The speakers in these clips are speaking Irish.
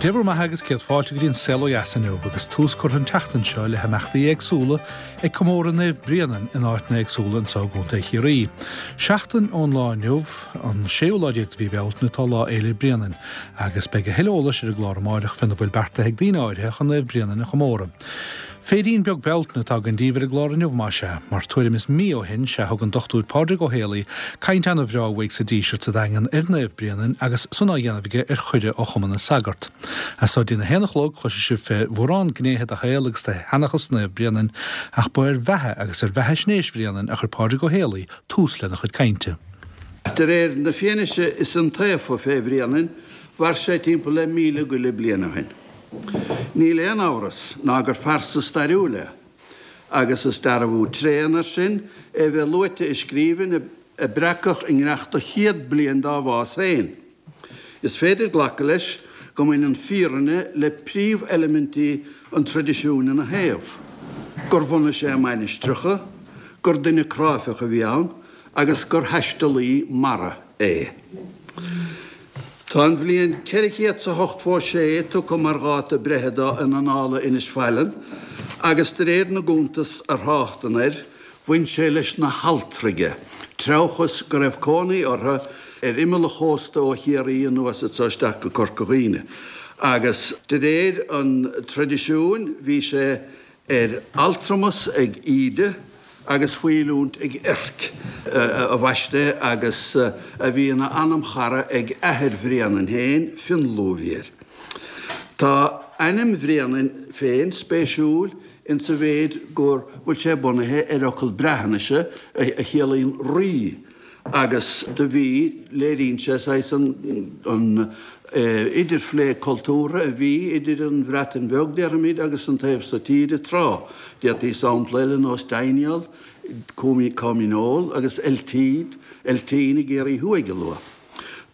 Dé bhur mbeatha agus céad fáilte go dtí an Saol Ó Dheas inniu agus tús curtha an tseachtain seo le himeachtaí éagsúla ag comóradh Naomh Bréanainn in áiteanna éagsúla anseo i gContae Chiarraí. Seachtain ón lá inniu, an séú lá déag de mhí Bealtaine, atá Lá Fhéile Bréanainn agus beidh a thuilleadh eolais ar an gclár amáireach féna bhfuil beartaithe ag daoine áirithe chun Naomh Bréanainn a chomóradh. Féirín beag Bealtaine atá againn daoibh ar an gclár inniu, más ea, mar tuairim is mí ó shin sea thug an Dr Pádraig Ó Héalaí caint ana-bhreá uaidh sa Díseart sa Daingean ar Naomh Bréanainn agus san á dhéanamh aige ar chuireadh ó Chumann na Sagart. As so dtí'n 1 a chlog cloisfidh sibh fé mhórán gnéithe de shaol agus de sheanchas Naomh Bréanainn ach ba ar bheatha agus ar bheathaisnéis Bhréanainn a chuir Pádraig Ó Héalaí tús lena chuid cainte. De réir na fianaise is iontaofa fé Bhréanainn, mhair sé timpeall le 1,000 go leith bliain ó shin. Níl aon amhras ná gur phearsa stairiúil é, agus is dearbhú tréan air sin é bheith luaite i scríbhinn a breacadh i nGneachta chéad bliain dá bhás féin. Is féidir glacadh leis go mbaineann fírinne le príomheilimintí an traidisiúin ina thaobh, gur bhunaigh sé mainistreacha, gur duine cráifeach a bhí ann, agus gur thaistealaí mara é. Tá an bhliain 486 tugtha mar dháta breithe dó in Annála Inis Faithleann agus de réir na gcuntas a thráchtann air, bhain sé leis na hAlltraighe, treabhchas go raibh cónaí orthu ar imeall an chósta ó Chiarraí anuas anso isteach go Corca Dhuibhne agus de réir an traidisiúin bhí sé ar altramas ag Íde agus faoi oiliúint ag Erc, a bhaist é agus a bhí ina anamchara ag athair Bhréanainn féin, Fionlú a bhí air. Tá ainm Bhréanainn féin spéisiúil insa mhéid go bhfuil sé bunaithe ar fhocal Breatnaise a chiallaíonn rí, Agus do bhí, léiríonn sé saghas an idirphlé cultúrtha a bhí idir an Bhreatain Bheag, déarfaimid, agus an taobh so tíre tráth. D'fhéadfaí sampla eile nós Deiniol, Cominol agus Eltid, Eltín i gCiarraí Thuaidh a lua.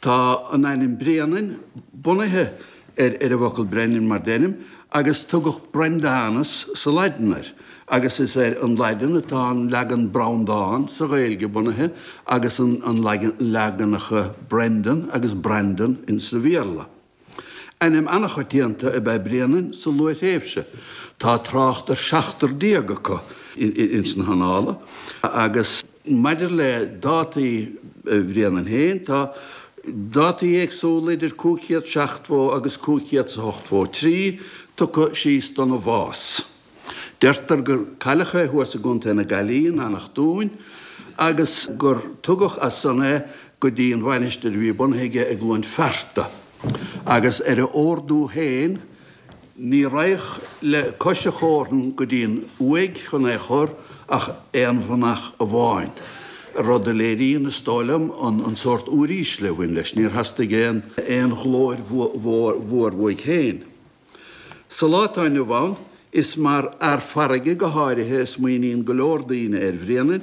Tá an ainm Bréanainn bunaithe ar an bhfocal Brennan mar deirim, agus tugadh Brendanus sa Laidin air, agus is ar an Laidin atá an leagan Breandán sa Ghaeilge bunaithe agus an leaganacha Brendan agus Brandon insa Bhéarla. Ainm an-choitianta ab ea Bréanainn sa luath-thréimhse. Tá trácht ar sheachtar déag acu ins na hannála, agus. Maidir le dátaí Bhréanainn féin, tá dátaí éagsúla idir 570 agus 583 tugtha síos dona bhás. Deirtear gur cailleadh é thuas i gContae na Gaillimhe in Eanach Dúin agus gur tugadh as san é go dtí an mhainistir a bhí bunaithe aige i gCluain Fearta agus ar a ordú féin Ní raghadh le cois a chómhran go dtí an uaigh chun é chur ach aon mhanach amháin, rud a léiríonn, is dóigh liom, an sórt úirísle a bhain leis. Níor theastaigh aon aon ghlóir mhór uaidh féin. Sa lá atá inniu ann, is mar fhear farraige go háirithe a smaoiníonn go leor daoine ar Bhréanainn,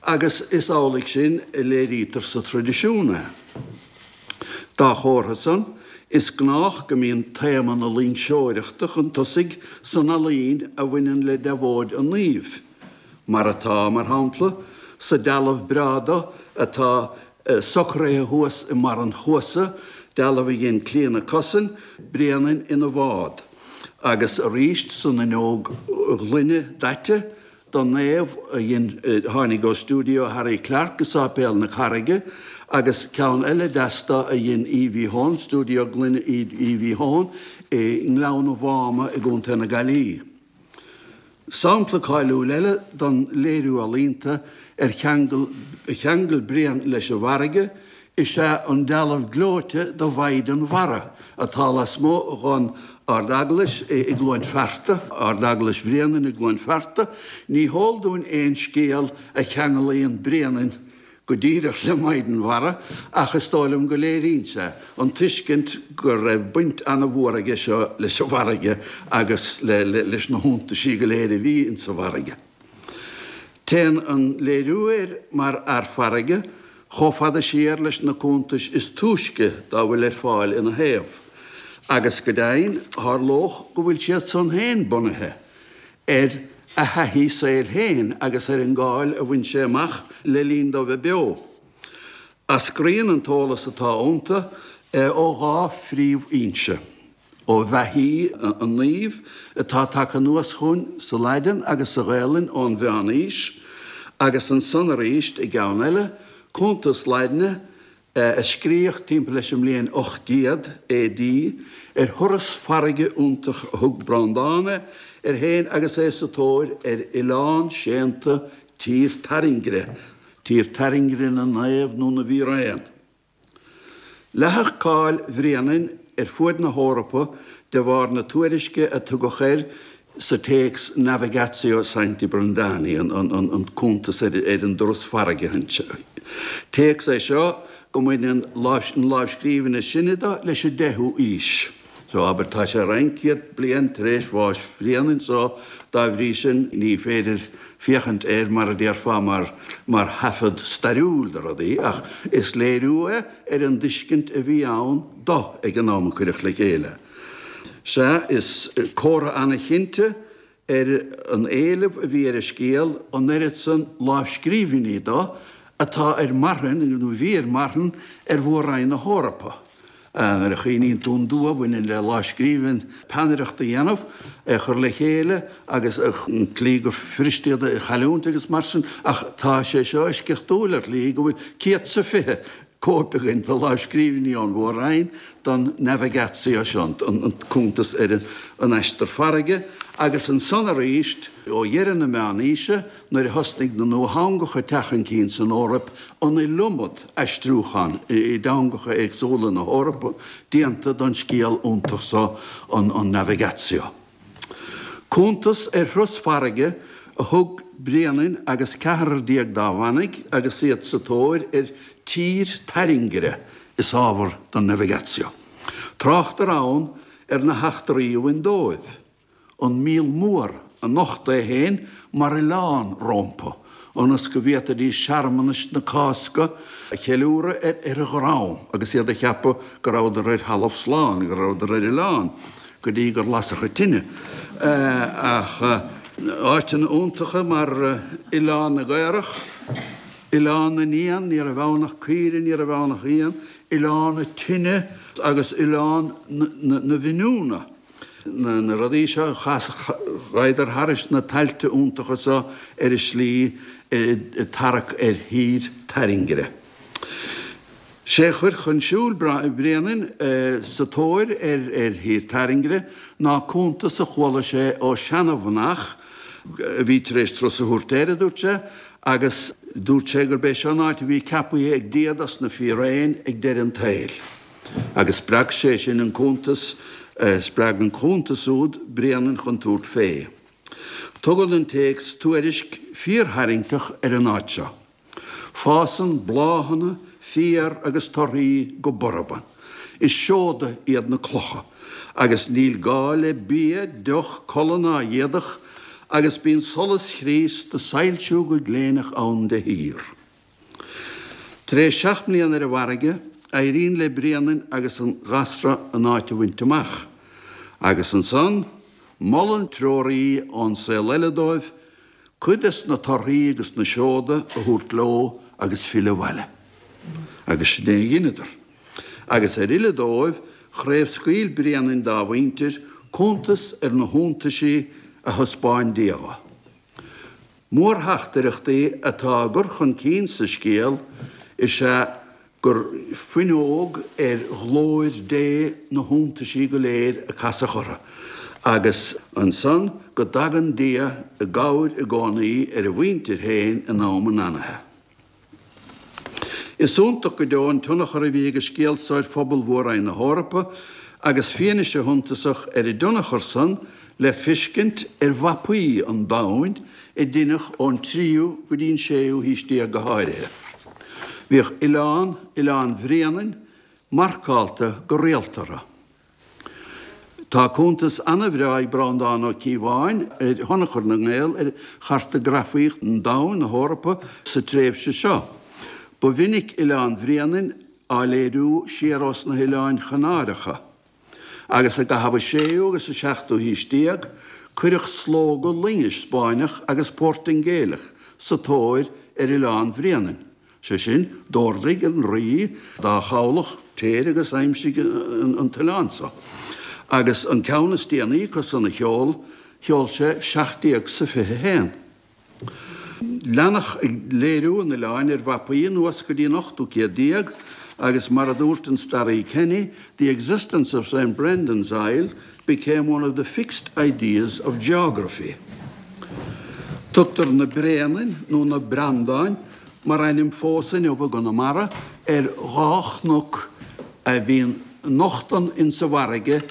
agus is amhlaidh sin a léirítear sa traidisiún é. Dá chomhartha san, is gnách go mbíonn téama na loingseoireachta chun tosaigh san ealaín a bhaineann le deabhóid an naoimh, mar atá, mar shampla, sa dealbh breá do atá socraithe thuas i mbarr an chuasa, dealbh a dhein Clíona Cussen, Bréanainn ina bhád, agus arís san fhuinneog ghloine daite don naomh a dhein, tháinig ó stiúideo Harry Clarke i Sáipéal na Carraige agus ceann eile deas do a dhein Evie Hone, Stiúideo Gloine Evie Hone i nGleann an Mháma i gContae na Gaillimhe. Sampla cáiliúil eile don léiriú ealaíonta ar cheangal cheangal Bréanainn leis an bhfarraige is ea an dealbh gleoite de Mhaighdean Mhara atá lasmuigh dhon Ard-Eaglais i gCluain Fearta, Ard-Eaglais Bhréanainn i gCluain Fearta. Ní heol dúinn aon scéal a cheanglaíonn Bréanainn go díreach le Maighdean Mhara ach is dóigh liom go léiríonn sé an tuiscint go raibh baint an-mhór aige seo leis an bhfarraige agus leis na hiontaisí go léir a bhí insa bhfarraige. Téann an léiriú air mar fhear farraige chomh fada siar leis na cuntais is túisce dá bhfuil ar fáil ina thaobh, agus go deimhin, tharlódh go bhfuil siad san féin bunaithe ar a thaithí saoil féin agus ar an gcáil a bhain sé amach le linn dó bheith beo. Eascraíonn an t-eolas atá iontu ó dhá phríomhfhoinse. ó bheathaí an naoimh atá tagtha anuas chugainn sa Laidin agus sa Ghaelainn ón Mheán-Aois, agus ansan arís i gceann eile, cuntas Laidine a scríodh timpeall leis an mbliain 800 AD, ar thuras farraige iontach a thug Breandán air féin agus é sa tóir ar oileán séanta Tír Tairngire, Tír Tairngire na Naomh nó na bhFíréan. Leathadh cáil Bhréanainn ar fuaid na hEorpa de bharr na tuairisce a tugadh air sa téacs Navigatio Sancti Brendani, an cuntas ar an dturas farraige. Téacs é seo go mbaineann an lámhscríbhinn is sine de leis an deichiú aois. So, abair, tá sé roinnt céad bliain tar éis bháis Bhréanainn so dá bhrí sin ní féidir féachaint air mar a déarfá mar mar thaifead stairiúil de rudaí ach is léiriú é ar an dtuiscint a bhí ann do ag an am a cuireadh le chéile. Sea, is comhartha an-chinnte ar an éileamh a bhí ar an scéal an oiread san lámhscríbhinní do atá ar marthain, nó a bhí ar marthain, ar mhór-roinn na hEorpa. Nuair a chuimhníonn tú an dua a bhaineann le lámhscríbhinn peannaireacht a dhéanamh, é a chur le chéile agus an tslí gur fuirist iad a chailliúint agus mar sin, ach tá sé seo eisceachtúil ar shlí go bhfuil 120 cóip againn de lámhscríbhinní ón Mhór-Roinn don Navigatio seo, an cuntas ar an aistear farraige, agus ansan arís ó dheireadh na Meánaoise, nuair a thosnaigh na nuatheangacha ag teacht chun cinn san Eoraip, an iliomad aistriúchán i dteangacha éagsúla na hEorpa déanta don scéal iontach seo, an Navigatio. Cuntas ar thuras farraige a thug Bréanainn agus ceathrar déag dá mhanaigh agus iad sa tóir ar Tír Tairngire is ábhar don Navigatio. Tráchtar ann ar na heachtraí a bhain dóibh, an Míol Mór a nocht é féin mar oileán rompu, ionas go bhféadfaidís searmanais na Cásca a cheiliúradh ar a dhroim agus iad a cheapadh go rabhadar ar thalamh slán, go rabhadar ar oileán, go dtí gur lasadh an tine. Ach áiteanna iontacha mar Oileán na gCaorach, Oileán na nÉan, ní raibh ann ach caoire, ní raibh ann ach éan, Oileán na Tine agus Oileán na bhFiniúna. Na rudaí seo, ghabhadar thairis na tailte iontacha seo ar a slí ag tarrac ar thír tairngire. Sé a chuir chun siúil Bréanainn sa tóir ar thír tairngire ná cuntas a chuala sé ó seana-mhanach a bhí tar éis turas a thabhairt air, a dúirt sé, agus dúirt sé gurb é seo an áit a bhí ceapaithe ag Dia dos na fíréin ag deireadh an tsaoil. Agus spreag sé sin an cuntas, spreag an cuntas úd Bréanainn chun tabhairt fé. Tugann an téacs tuairisc fíortharraingteach ar an áit seo. Fásann bláthanna, féar agus torthaí go borb ann. Is seoda iad na clocha, agus níl gá le bia, deoch, culaith ná éadach, agus bíonn solas Chríost ag soilsiú go gléineach ann de shíor. Tar éis 7 mbliana ar an bhfarraige, éiríonn le Bréanainn agus an gasra an áit a bhaint amach, agus ansan, molann treoraí ón saol eile dóibh cuid des na torthaí agus na seoda a thabhairt leo agus filleadh abhaile. Agus sin é a dheineadar. Agus ar fhilleadh dóibh, chraobhscaoil Bréanainn dá mhuintir cuntas ar na hiontaisí a thaispeáin Dia dho. Mórtheachtaireachtaí atá á gcur chun cinn sa scéal is ea gur fuinneog ar ghlóir Dé na hiontaisí go léir a casadh orthu, agus ansan go dtagann Dia i gcabhair i gcónaí ar a mhuintir féin in am an anaithe. Is iontach go deo an tionchar a bhí ag an scéal so ar phobal Mhór-Roinn na hEorpa agus fianaise shuntasach ar an dtionchar san le feiscint ar mhapaí an domhain a deineadh ón tríú go dtí an séú haois déag go háirithe. Bhíodh oileán, Oileán Bhréanainn, marcálta go rialta orthu. Tá cuntas ana-bhreá ag Breandán Ó Cíobháin ar thionchar na nGael ar chartagrafaíocht an domhain, na hEorpa, sa tréimhse seo. Ba mhinic Oileán Bhréanainn á léiriú siar ós na hOileáin Chanáracha. Agus i gcaitheamh an séú agus an seachtú haois déag, cuireadh slógadh loingis Spáinneach agus Portaingéileach sa tóir ar Oileán Bhréanainn. Sé sin, d'ordaigh an rí dá chabhlach, téir agus aimsigh an t-oileán so. Agus an ceann is déanaí acu san a sheol, sheol sé 17 sa 21. Leanadh ag léiriú an oileáin ar mhapaí anuas go dtí an ochtú céad déag agus mar a dúirt an staraí Kenny, The existence of Saint Brendan's Isle became one of the fixed ideas of geography. Tugtar na Bréanainn nó na Brandáin mar ainm fós inniu i gConamara ar dhá chnoc a bhíonn nochtann insa bhfarraige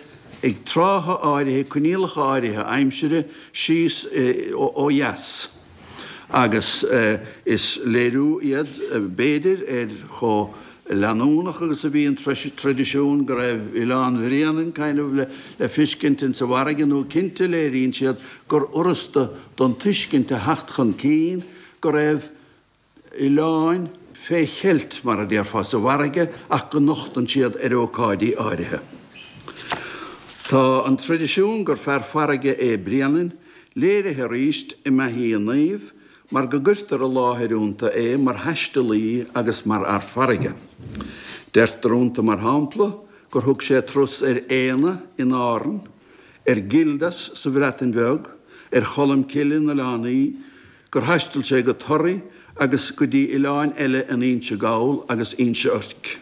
ag trátha áirithe, coinníollacha áirithe aimsire, síos ó dheas. Agus is léiriú iad, b'fhéidir, ar chomh leanúnach agus a bhí an traidisiún go raibh Oileán Bhréanainn kind of le fiscint insa bhfarraige nó cinnte léiríonn siad gur fhurasta don tuiscint a theacht chun cinn go raibh oileáin fé cheilt, mar a déarfá, sa bhfarraige ach go nochtann siad ar ócáidí áirithe. Tá an traidisiún gur fear farraige é Bréanainn léirithe arís i mbeathaí an naoimh mar go gcuirtear i láthair iontu é mar thaistealaí agus mar fhear farraige. Deirtear iontu, mar shampla, gur thug sé turas ar Éanna in Árainn, ar Gildas sa Bhreatain Bheag, ar Cholm Cille in Oileán Í, gur thaistil sé go Toraigh agus go dtí oileáin eile in Inse Gall agus Inse Oirc.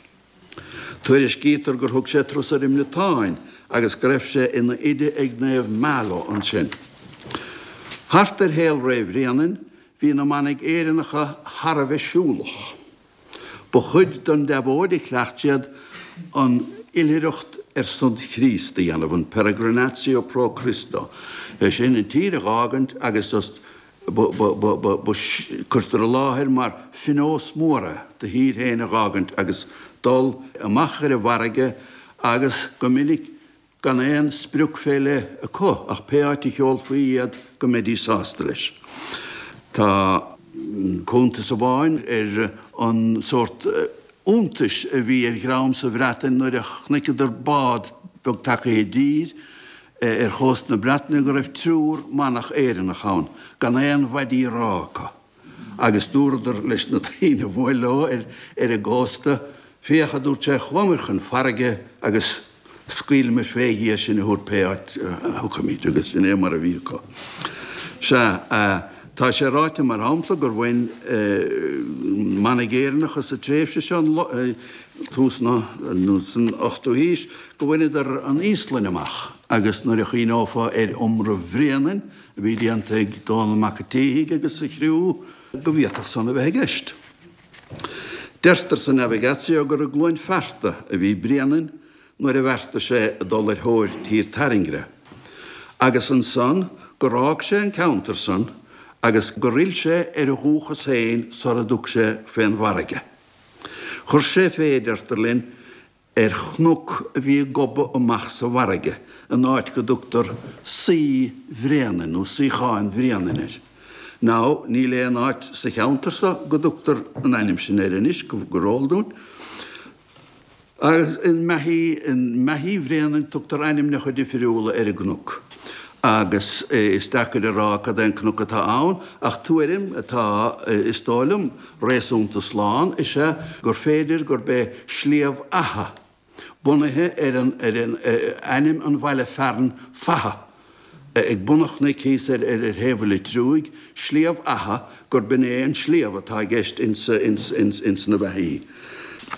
Tuairiscítear gur thug sé turas ar an mBriotáin agus go raibh sé ina oide ag Naomh Malo ansin. Thart ar shaolré Bhréanainn bhí na manaigh Éireannacha thar a bheith siúlach. Ba chuid den deabhóid a chleacht siad an oilithreacht ar son Chríost a dhéanamh, an peregrinatio pro Christo, é sin, an tír a dh'fhágaint agus just ba, ba, ba, ba, ba, cuirtear i láthair mar phionós mór é do thír féin a dh'fhágaint agus dul amach ar an bhfarraige agus go minic gan aon sprioc fé leith acu ach pé áit a sheolfaí iad go mbeidís sásta leis. Tá cuntas amháin ar an sórt iontais a bhí ar dhream sa Bhreatain nuair a chonaiceadar bád beag tagaithe i dtír ar chósta na Breataine go raibh triúr manach Éireannach ann gan aon mhaidí rámha acu. Agus dúradar leis na daoine a bhuail leo ar an gcósta, Féach, a dúirt sé, chuamair chun farraige agus scaoilfimid fé Dhia sinn a thabhairt pé áit a thiocfaimid. Agus sin é mar a bhí acu. Sea, tá sé ráite, mar shampla, gur bhain manaigh Éireannacha sa tréimhse seo, tús na, nó san ochtú haois, go bhaineadar an Íoslainn amach agus nuair a chuimhneofá ar iomramh Bhréanainn, a bhí déanta ag Dónall Mac an tSíthigh agus a chriú go bhféadfadh san a bheith i gceist. Deirtear sa Navigatio gur i gCluain Fearta a bhí Bréanainn nuair a bheartaigh sé dul ar thóir Tír Tairngre, agus ansan gur fhág sé an ceantar san agus gur fhill sé ar a dhúchas féin sara dtug sé fén bhfarraige. Chuir sé fé, deirtear linn, ar chnoc a bhí ag gobadh amach sa bhfarraige in áit go dtugtar Suí Bhréanainn nó Suíochán Bhréanainn air. Now, níl aon áit sa cheantar so go dtugtar an ainm sin air anois, go eol dúinn. Agus i mbeathaí, i mbeathaí Bhréanainn tugtar ainmneacha difriúla ar an gcnoc. Agus is deacair a rá cad é an cnoc atá ann, ach tuairim atá, is dóigh liom, réasúnta slán is ea gur féidir gurb é Sliabh Fhatha, bunaithe ar an ar an ainm an bhaile fearainn Fatha, ag bun an chnoic thíos ar ar thaobh an Leitriúigh, Sliabh Fhatha, gurb in é an sliabh atá i gceist ins ins na beathaí.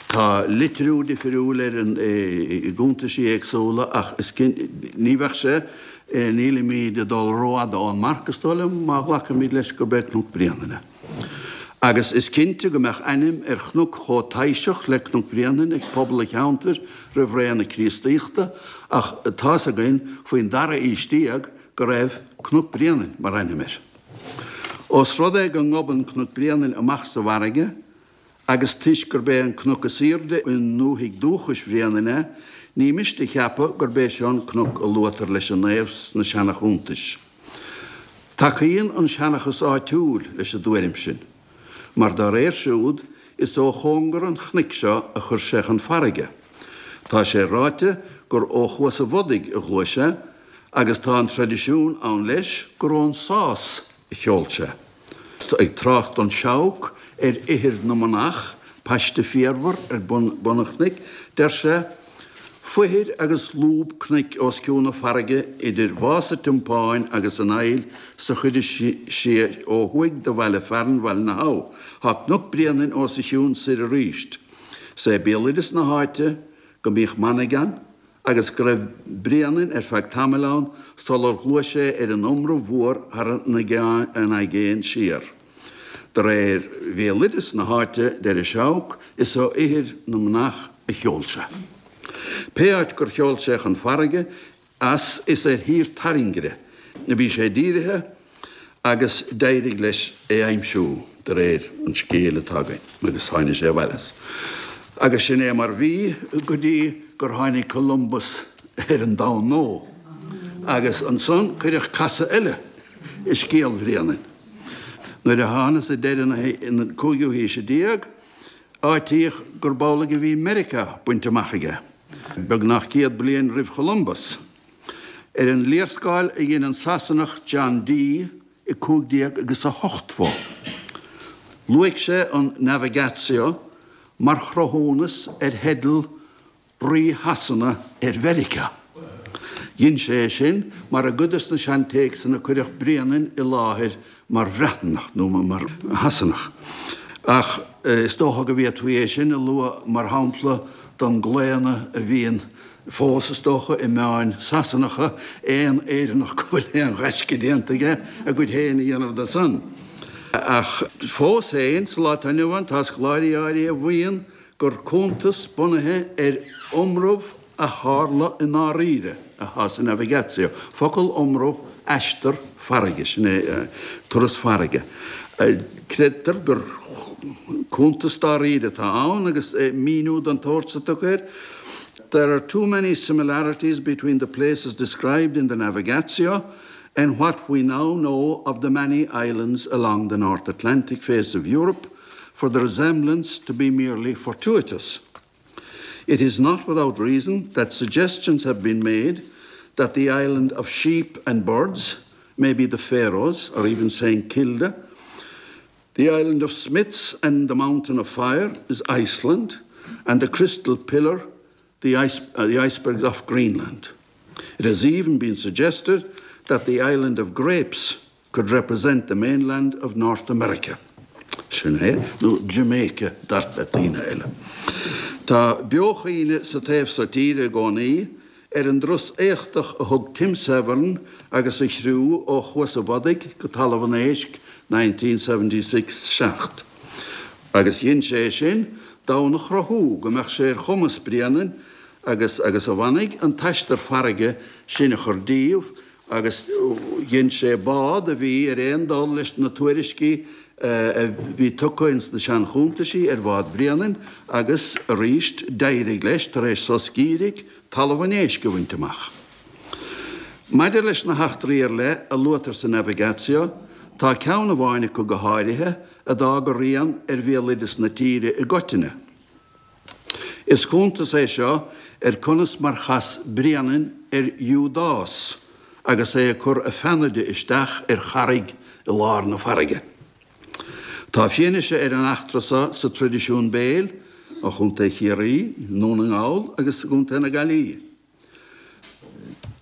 Tá litriú difriúil air i gcuntaisí éagsúla ach is ní bheadh sé, nílimid ag dul rófhada ón marc is dóigh liom má ghlacaimid leis gurb é Cnoc Bréanainn é. Agus is cinnte go mbeadh ainm ar chnoc chomh taibhseach le Cnoc Bréanainn ag pobal an cheantair roimh ré na Críostaíochta ach tá's againn faoin dara haois déag go raibh Cnoc Bréanainn mar ainm air. Ós rud é go ngobann Cnoc Bréanainn amach sa bhfarraige agus toisc gurb é an cnoc is aoirde i ndúthaigh dúchais Bhréanainn é, ní miste a cheapadh gurb é seo an cnoc a luaitear leis an naomh sna seana-chuntais. Tacaíonn an seanchas áitiúil leis an dtuairim sin, mar dá réir siúd, is ó chóngar an chnoic seo a chuir sé chun farraige. Tá sé ráite gur ó Chuas an Bhodaigh a ghluais sé, agus tá an traidisiún ann leis gur ón Sás a sheol sé. Ag trácht don Seabhac ar ithir na manach, paiste féarmhar ar bun an chnoic, deir sé. Foithir agus lúb cnoic os cionn na farraige idir Mhás a' Tiompáin agus an Aill sa chuid is sia ó thuaidh de bhaile fearainn Bhaile na hAbha. Tá Cnoc Bréanainn os a chionn soir arís. Is é béaloideas na háite go mbíodh manaigh ann agus go raibh Bréanainn ar feadh tamaill ann sular ghluais sé ar an iomramh mhór thar an aigéan siar. De réir bhéaloideas na háite, deir an Seabhac, is ó ithir na manach a sheol sé. Pé áit gur sheol sé chun farraige as is ar Thír Tairngire a bhí sé dírithe agus d'éirigh leis é aimsiú, de réir an scéil atá againn, agus tháinig sé abhaile as. Agus sin é mar bhí go dtí gur tháinig Columbus ar an domhan nua. Agus ansan cuireadh casadh eile i scéal Bhréanainn. Nuair a thángthas ag deireadh na cúigiú haoise déag, áitíodh gurb amhlaidh a bhí Meiriceá bainte amach aige, beagnach 100 bliain roimh Cholumbus. Ar an léarscáil a dhein an Sasanach John Dee i 15 agus a hochtmhó, luaigh sé an Navigatio mar chruthúnas ar theideal Rí Shasana ar Mheiriceá. Dhein sé é sin mar i gcuid de na seantéacsanna cuireadh Bréanainn i láthair mar Bhreatnach nó mar Shasanach. Ach is dócha go bhféadfaí é sin a lua mar shampla don gclaonadh a bhíonn fós, is dócha, i meáin Sasanacha, aon Éireannach go bhfuil aon ghaisce déanta aige, a gcuid féin a dhéanamh de san. Ach fós féin, sa lá atá inniu ann, tá scoláirí áirithe a mhaíonn gur cuntas bunaithe ar iomramh a tharla i ndáiríre atá sa Navigatio, focal iomramh, aistear farraige, sin é turas farraige. Creidtear gur cuntas dáiríre atá ann agus míniú den tsórt so tugtha air, There are too many similarities between the places described in the Navigatio and what we now know of the many islands along the North Atlantic face of Europe, for the resemblance to be merely fortuitous. It is not without reason that suggestions have been made that the island of sheep and birds may be the Faroes or even St. Kilda. The island of smiths and the mountain of fire is Iceland, and the crystal pillar the, ice, uh, the icebergs off Greenland. It has even been suggested that the island of grapes could represent the mainland of North America. Sin é, nó Jamaica dar le daoine eile. Tá beochuimhne sa taobh so tíre i gcónaí ar an dturas éachtach a thug Tim Severn agus a chriú ó Chuas a' Bhodaigh go Talamh an Éisc 1976 7. Agus dhein sé é sin d'fhonn a chruthú go mbeadh sé ar chumas Bréanainn agus agus a mhanaigh an t-aistear farraige sin a chur díobh agus dhein sé bád a bhí ar aon dul leis na tuairiscí a bhí tugtha ins na seanchuntaisí ar bhád Bhréanainn agus arís d'éirigh leis, tar éis sos geimhridh, Talamh an Éisc a bhaint amach. Maidir leis na heachtraí ar leith a luaitear sa Navigatio, tá ceann amháin acu go háirithe a d'fhág a rian ar bhéaloideas na tíre i gcoitinne. Is cuntas é seo ar conas mar chas Bréanainn ar Iúdás agus é ag cur a pheannaide isteach ar charraig i lár na farraige. Tá fianaise ar an eachtra seo sa traidisiún béil ó Chontae Chiarraí, i nDún na nGall agus i gContae na Gaillimhe.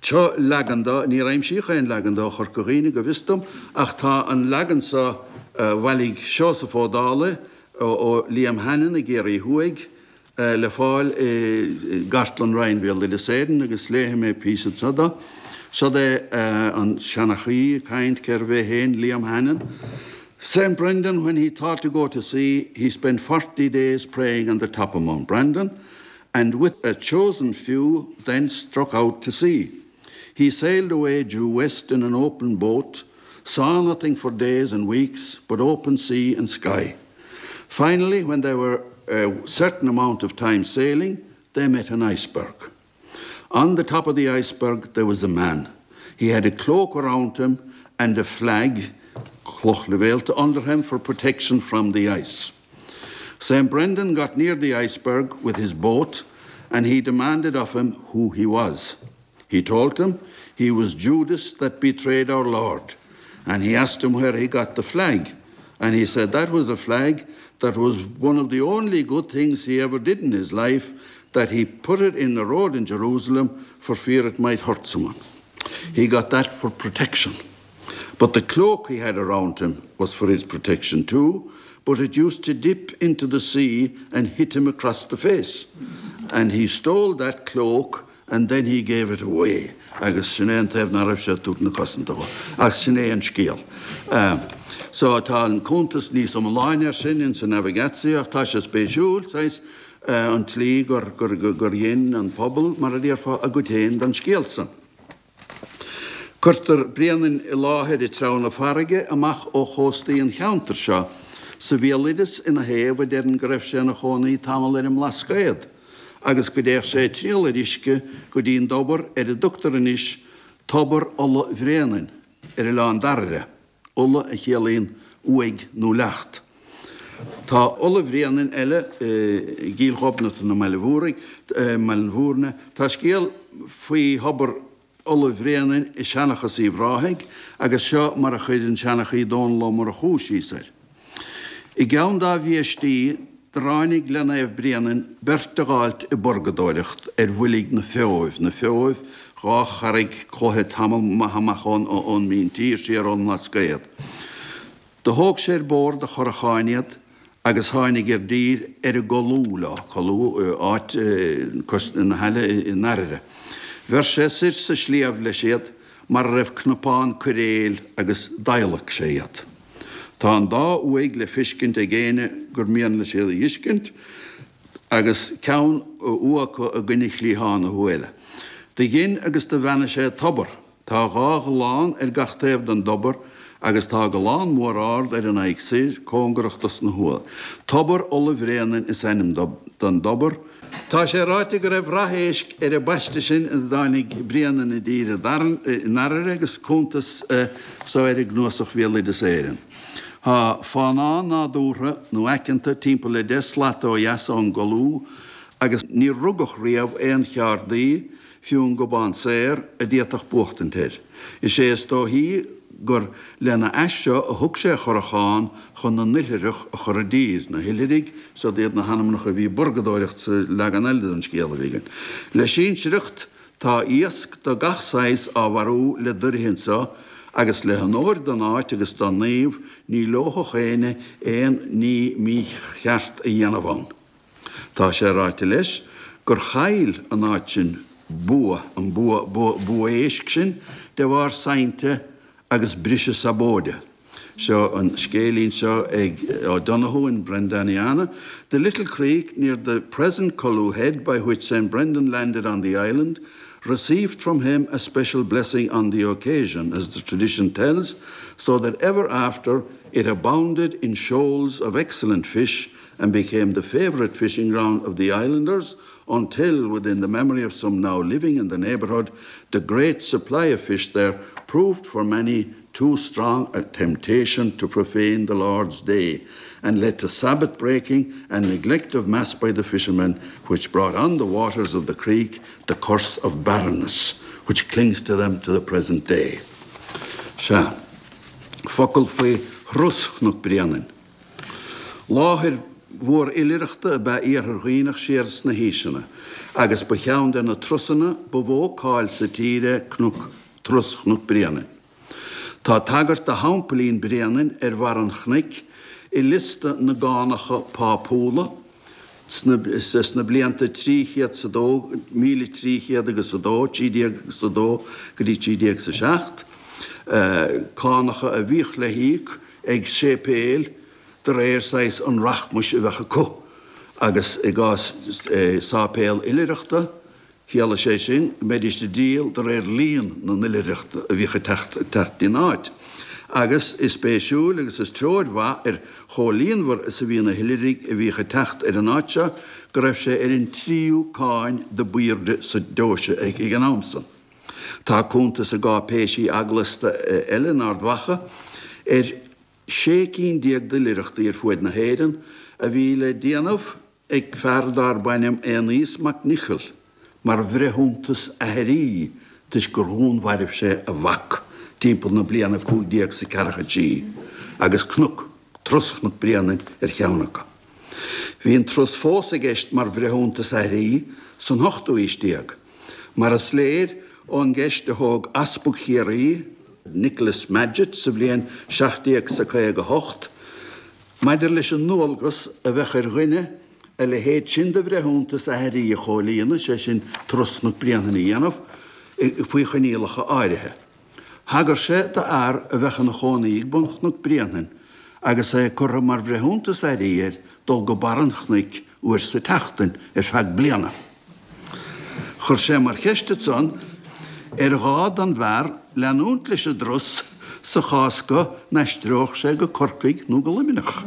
Seo leagan de, níor aimsíodh aon leagan de ó Chorca Dhuibhne go bhfios dom, ach tá an leagan seo a bhailigh Seosamh Ó Dálaigh ó Liam Hannon i gCiarraí Thuaidh le fáil i gCartlann Roinn Bhéaloideas Éireann agus léifidh mé píosa anseo de. Seo é an seanchaí ag caint cérbh é féin Liam Hannon. Saint Brendan when he thought to go to sea he spent 40 days praying on the top of Mount Brandon and with a chosen few then struck out to sea. He sailed away due west in an open boat, saw nothing for days and weeks but open sea and sky. Finally, when they were a certain amount of time sailing, they met an iceberg. On the top of the iceberg there was a man. He had a cloak around him and a flag cloch leibhéalta under him for protection from the ice. St. Brendan got near the iceberg with his boat and he demanded of him who he was. He told him he was Judas that betrayed our Lord, and he asked him where he got the flag, and he said that was a flag that was one of the only good things he ever did in his life. that he put it in the road in Jerusalem for fear it might hurt someone. He got that for protection. But the cloak he had around him was for his protection too, but it used to dip into the sea and hit him across the face. And he stole that cloak and then he gave it away agus sin é an taobh ná raibh sé ag tabhairt na cosanta dó. Ach sin é an scéal. So tá an cuntas níos iomláine ar sin ins an Navigatio ach tá sé spéisiúil, saghas, an tslí gur, gur, gur dhein an pobal, mar a déarfá, a gcuid féin den scéal san. Cuirtear Bréanainn i láthair i dtreabhanna farraige amach ó chóstaí an cheantair seo, sa bhéaloideas ina thaobh a deireann go raibh sé ina chónaí tamall ar an mBlascaod agus go dtéadh sé ag triall ar uisce go dtí an dtobar ar a dtugtar anois Tobar Ola Bhréanainn ar Oileán Dairbhre. Ola a chiallaíonn uaigh nó leacht. Tá Ola Bhréanainn eile i gCill Ghobnatan i mBaile Mhúraigh, mBaile Mhúirne. Tá scéal faoi thobar Ola Bhréanainn i Seanchas Uíbh Ráthaigh agus seo mar a chuir an seanchaí Dónall Ó Murchú síos air. I gceann dá bhiaistí do ráinig le Naomh Bréanainn beirt a dh'fháilt ag borgadóireacht ar bhuilg na Feoibh, na Feoibh, dha charraig cloiche tamall maith amach ón míntír, siar ón mBlascaod. Do thóg sé ar bórd a churacháin iad agus tháinig ar dtír ar an gColú leo, Colú, áit cois na haille i nDairbhre. Bheir sé soir sa sliabh leis iad mar a raibh cnapán coiréil agus d'adhlaic sé iad. Tá an dá uaigh le feiscint ag éinne gur mian leis iad a dh'fheiscint, agus ceann uaigh acu i gcoinne chliathán na huaighe eile. Do dhein agus do bheannaigh sé tobar. Tá dha ghallán ar gach taobh den dtobar agus tá gallán mór árd ar an aghaidh soir, cóngarach dos na huaigh. Tobar Ola Bhréanainn is ainm don dtobar. Tá sé ráite go raibh rath éisc ar an bpaiste sin ina dtáinig Bréanainn i dtír i nDairbhre agus cuntas so air i gCnuasach Bhéaloideas Éireann. Tá fánán nádúrtha nó aiceanta timpeall le 10 slat ó dheas ón gColú agus níor rugadh riamh aon cheárdaí fiú an Gobán Saor, a d'fhéadfadh buachtaint air. Is é is dóichí gur lena ais seo a thug sé a churachán chun na n-oilithreach a chur i dtír, na hoilithrigh, siod iad na hainmneacha a bhí ag borgadóireacht sa leagan eile den scéal a bhí againn. Le sinsearacht, tá iasc de gach saghas á mharú le doirithe anso, agus le honóir don áit agus don naomh, ní leomhfadh éinne aon ní mícheart a dhéanamh ann. Tá sé ráite leis gur chaill an áit sin bua, an bua, bua, bua éisc sin de bharr sainte agus briseadh sabóide. Seo an scéilín seo ag O'Donoghue in Brendaniana, The little creek near the present Culloo Head by which St Brendan landed on the island received from him a special blessing on the occasion, as the tradition tells, so that ever after it abounded in shoals of excellent fish and became the favourite fishing ground of the islanders until, within the memory of some now living in the neighbourhood, the great supply of fish there proved for many too strong a temptation to profane the Lord's day, and led to Sabbath breaking and neglect of mass by the fishermen, which brought on the waters of the creek the curse of barrenness, which clings to them to the present day. Sea, focal faoi Thros Chnoc Bréanainn. Láthair mhór oilithreachta ab ea Iarthar Dhuibhneach siar sna haoiseanna, agus ba cheann de na trusanna ba mhó cáil sa tír é Cnoc, Trus Chnoc Bréanainn. Tá tagairt do theampaillín Bréanainn ar bharr an chnoic i liosta na gcánacha pápúla sna blianta 300 's a dó, 1300 agus a dó, 13 agus a dó go dtí 13 's a seacht, cánacha a bhíodh le híoc ag séipéil de réir saghas an rachmais a bheadh acu, agus i gcás sáipéal oilithreachta, chiallaigh sé sin go mbeidís ag díol de réir líon na n-oilithreach a bhíodh ag teacht dtí an áit. Agus is spéisiúil agus is treoir mhaith ar chomh líonmhar is a bhí na hoilithrigh a bhíodh ag teacht ar an áit seo go raibh sé ar an tríú cáin do b'aoirde sa deoise ag an am san. Tá cuntas i gcáipéisí eaglasta eile in Ard Mhacha ar 16 cinn d'oilithreachtaí ar fuaid na hÉireann a bhí le déanamh ag fear darb ainm Aonghas Mac Niocaill mar bhreithiúntas aithrí toisc gur dhúnmhairbh sé a mhac timpeall na bliana 1543 agus cnoc, Trus Chnoc Bréanainn ar cheann acu. Bhí an turas fós i gceist mar bhreithiúntas aithrí san ochtú aois déag, mar is léir ón gceist a thóg Easpag Chiarraí, Nicholas Madgett, sa bhliain 1758, maidir leis an ndualgas a bheadh ar dhuine a leithéid sin de bhreithiúntas aithrí a chomhlíonadh, sé sin, turas Chnoc Bréanainn a dhéanamh, faoi choinníollacha áirithe. Thagair sé d'fhear a bheadh ina chónaí ag bun Chnoc Bréanainn agus é curtha mar bhreithiúntas aithrí air dul go barr an chnoic uair sa tseachtain ar feadh bliana. Chuir sé mar cheist ansan ar ghá don bhfear leanúint leis an dturas sa chás go n-aistreodh sé go Corcaigh nó go Luimneach.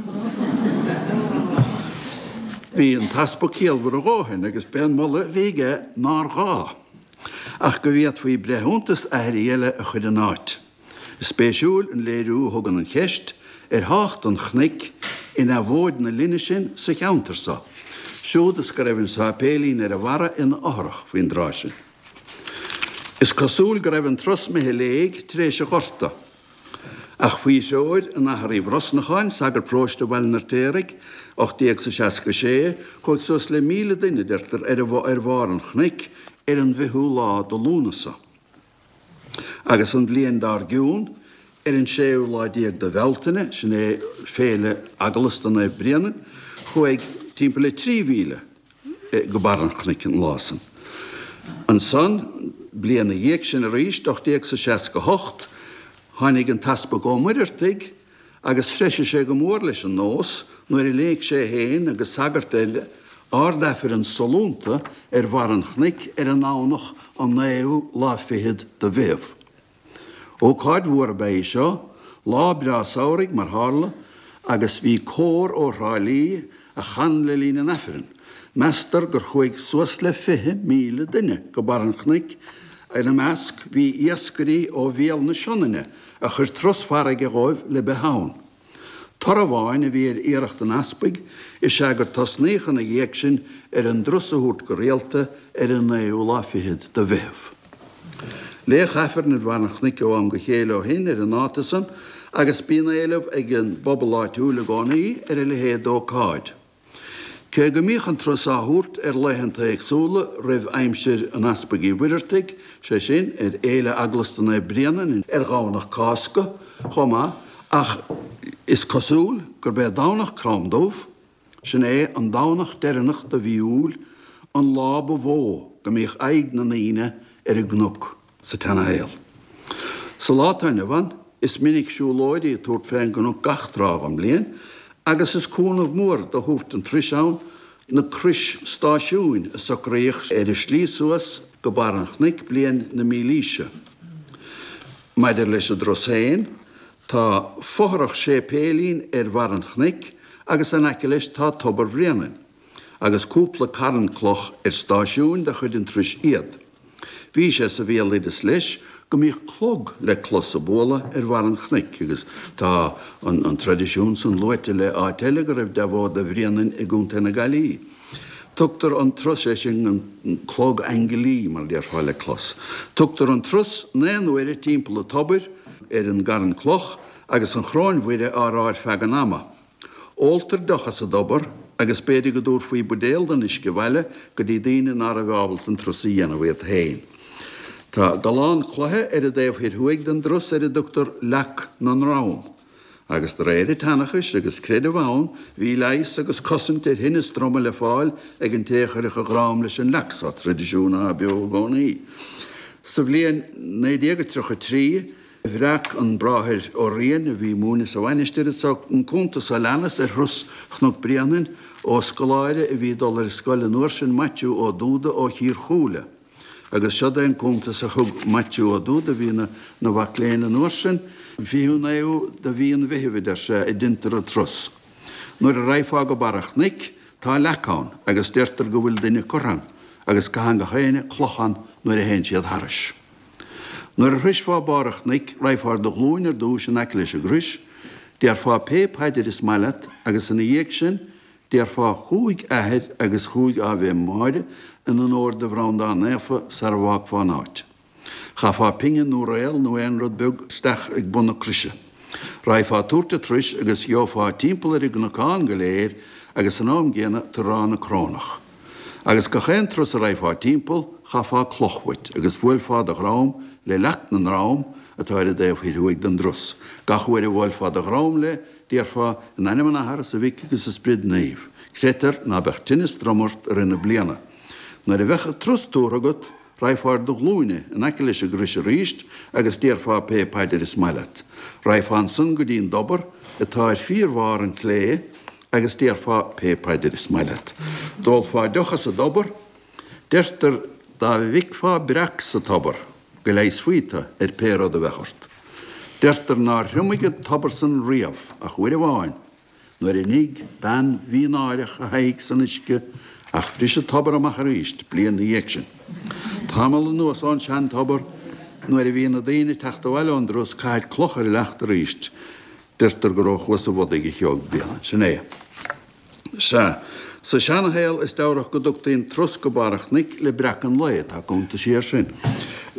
Bhí an t-easpag ciallmhar a dhóthain agus b'é an moladh a bhí aige nár ghá. ach go bhféadfaí breithiúntas aithrí eile a chur ina áit. Is spéisiúil an léiriú a thugann an cheist ar thábhacht an chnoic i ndeabhóid na linne sin sa cheantar so, siúd is go raibh an sáipéilín ar a bharra ina fhothrach faoin dtráth sin. Is cosúil go raibh an turas imithe i léig tar éis an Ghorta. Ach faoi threoir an Athar Uí Bhrosnacháin, sagart paróiste Bhaile an Fheirtéaraigh, 1866, chuaigh suas le 1,000 duine, deirtear, ar bharr an chnoic ar an bhfichiú lá de Lúnasa. Agus an bhliain dár gcionn, ar an séú lá déag de Bhealtaine, sin é féile eaglasta Naomh Bréanainn, chuaigh timpeall le 3,000. go barr an chnoic an lá san. Ansan, bliain 'na dhiaidh sin arís, 1868, tháinig an tEaspag Ó Muireartaigh agus threisigh sé go mór leis an nós nuair a léigh sé féin agus sagart eile Ard-Aifreann sollúnta ar bharr an chnoic ar an nDomhnach an naoú lá fichead de Mheitheamh. Ócáid mhór ab ea í seo, lá breá samhraidh mar tharla, agus bhí cór ó Thrá Lí a chan le linn an Aifrinn. Meastar gur chuaigh suas le 20,000 duine go barr an chnoic, ina measc bhí iascairí ó bhéal na Sionainne a chuir turas farraige dhóibh le beith ann. Toradh amháin a bhí ar iarracht an easpaig is ea gur tosnaíodh ina dhiaidh sin ar an dturas a thabhairt go rialta ar an naoú lá fichead de Mheitheamh. Léadh Aifreann ar bharr an chnoic ó am go chéile ó shin ar an ndáta san agus bíonn éileamh ag an bpobal áitiúil i gcónaí ar a leithéid d'ócáid. Cé go mbíodh an turas á thabhairt ar laethanta éagsúla roimh aimsir an Easpaig Uí Mhuireartaigh, sé sin, ar Fhéile Eaglasta Naomh Bréanainn ar Dhomhnach Cásca chomh maith, ach is cosúil gurb é Domhnach Crom Dubh, sin é an Domhnach deireanach de mhí Iúil, an lá ba mhó go mbíodh aghaidh na ndaoine ar an gcnoc. sa tseanashaol. Sa lá atá inniu ann, is minic siúlóirí ag tabhairt fén gcnoc gach tráth den bhliain, agus is cúnamh mór do thabhairt an turais ann na crois stáisiúin a socraíodh ar an slí suas go barr an chnoic bliain na mílaoise. Maidir leis an dturas féin, tá fothrach séipéilín ar bharr an chnoic agus in aice leis tá Tobar Bhréanainn. agus cúpla carn cloch ar stáisiúin de chuid an turais iad. Bhí sé sa bhéaloideas leis go mbíodh clog le clos ag bualadh ar bharr an chnoic agus tá an traidisiún san luaite le áit eile go raibh deabhóid do Bhréanainn i gContae na Gaillimhe. Tugtar an turas, sé sin an clog ainglí mar a déarfá le clos. Tugtar an turas 9 n-uaire timpeall an tobair ar an gcarn cloch agus an Choróin Mhuire á rá ar feadh an ama. Óltar deoch as an dtobar agus b'fhéidir go dtabharfaí buidéal den uisce abhaile go dtí daoine ná raibh ábalta an turas a dhéanamh iad féin. Tá gallán cloiche ar an dtaobh thoir thuaidh den dturas ar a dtugtar Leac na nDronn, agus de réir an tseanchais agus creidimh ann bhí leigheas agus cosaint ar thinneas droma le fáil ag an té a chuirfeadh a dhrom leis an leac so, traidisiún atá beo i gcónaí. Sa bhliain 1933, Bhreac an Bráthair Ó Riain, a bhí ag múineadh sa mhainistir anso, an cuntas seo leanas ar thuras Chnoc Bréanainn ó scoláire a bhí ag dul ar scoil an uair sin, Maitiú Ó Dúda ó Chír Chúile. Agus seod é an cuntas a thug Maitiú Ó Dúda, a bhí ina mhac léinn an uair sin, 29ú de mhí an Mheithimh, a deir sé, a deintear an turas. Nuair a raghfá go barr an chnoic, tá leac ann agus deirtear go bhfuil duine curtha ann agus caitheann gach éinne cloch ann nuair a théann siad thairis. Nuair a shroisfeá barr an chnoic, raghfá ar do ghlúin ar dtúis in aice leis an gcrois, déarfá pé paidir is maith leat agus ina dhiaidh sin, déarfá chúig Athair agus chúig Ave Máire in onóir do Bhreandán Naofa sara bhfágfá an áit. Chaithfeá pingin nó réal nó aon rud beag isteach ag bun na croise. Raghfá ag tabhairt an turais agus gheofá timpeall ar an gcnocán go léir. agus san am gcéanna tar Ráth na Crónach. Agus gach aon turas a raghfá timpeall, chaithfeá cloch uait, agus bhuailfeá do dhrom le Leac na nDrom, atá ar an dtaobh thoir thuaidh den dturas. Gach uair a bhuailfeá do dhrom léi, déarfá, In ainm an Athar is an Mhic agus an Sprid Naoimh. Creidtear ná beadh tinneas drom ort i rith na bliana. Nuair a bheadh an turas tabhartha agat, raghfá ar do ghlúine in aice leis an gcrois arís agus déarfá pé paidir is maith leat. Raghfá ansan go dtí an dtobar, atá ar fíorbharr an tslé, agus déarfá pé paidir is maith leat. D'ólfá deoch as an dtobar. Deirtear dá bhficfeá breac sa tobar go leigheasfaí tu ar pé rud a bheadh ort. Deirtear nár thriomaigh an tobar san riamh ach uair amháin nuair a nigh bean mhínáireach a haghaidh san uisce ach bhris an tobar amach arís bliain 'na dhiaidh sin. Tamall anuas ón sean-tobar nuair a bhí na daoine ag teacht abhaile ón dturas caithid cloch ar an leacht arís. Deirtear gur ó Chuas an Bhodaigh a shióg Bréanainn. Sin é. Sea. Sa seanashaol is deabhrach go dtugtaí an turas go barr an chnoic le breacadh an lae. Tá cuntaisí air sin.